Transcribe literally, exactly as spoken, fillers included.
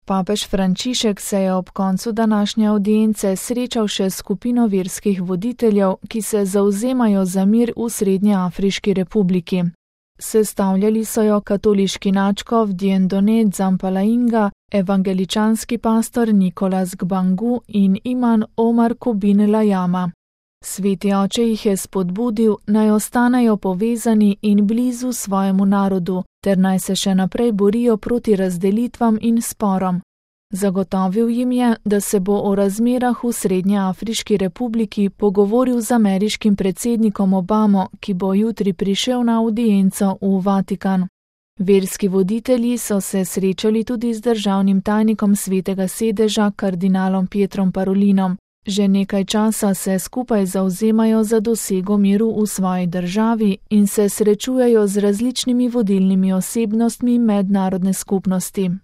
Papež Frančišek se je ob koncu današnje avdience srečal še s skupino verskih voditeljev, ki se zavzemajo za mir v Srednjeafriški republiki. Sestavljali so jo katoliški nadškof Dieudonné Dzampala-Inga, evangeličanski pastor Nicolas Gbangu in iman Omar Kubin Lajama. Sveti oče jih je spodbudil, naj ostanejo povezani in blizu svojemu narodu, ter naj se še naprej borijo proti razdelitvam in sporom. Zagotovil jim je, da se bo o razmerah v Srednjeafriški republiki pogovoril z ameriškim predsednikom Obamo, ki bo jutri prišel na avdienco v Vatikan. Verski voditelji so se srečali tudi z državnim tajnikom Svetega sedeža kardinalom Pietrom Parolinom. Že nekaj časa se skupaj zavzemajo za dosego miru v svoji državi in se srečujejo z različnimi vodilnimi osebnostmi mednarodne skupnosti.